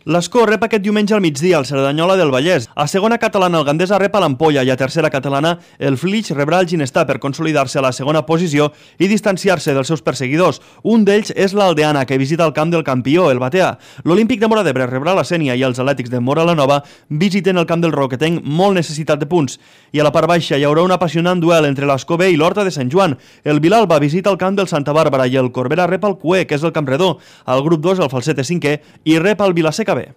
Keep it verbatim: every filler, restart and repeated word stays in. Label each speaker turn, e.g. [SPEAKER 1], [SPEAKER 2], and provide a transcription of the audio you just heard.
[SPEAKER 1] L'Escó rep aquest diumenge al migdia al Cerdanyola del Vallès. A segona catalana el Gandesa rep a l'Ampolla i a tercera catalana el Flix rebrà el Ginestar per consolidar-se a la segona posició i distanciar-se dels seus perseguidors. Un d'ells és l'Aldeana, que visita el camp del campió, el Batea. L'Olímpic de Móra d'Ebre rebrà la Sénia i els Atlètics de Móra la Nova visiten el camp del Roquetenc, molt necessitat de punts. I a la part baixa hi haurà un apassionant duel entre l'Escó B i l'Horta de Sant Joan. El Vilalba visita el camp del Santa Bàrbara i el Corbera rep el Cué, que és el Campredó. Al grup dos el Falset és cinquè i rep el Vilaseca B.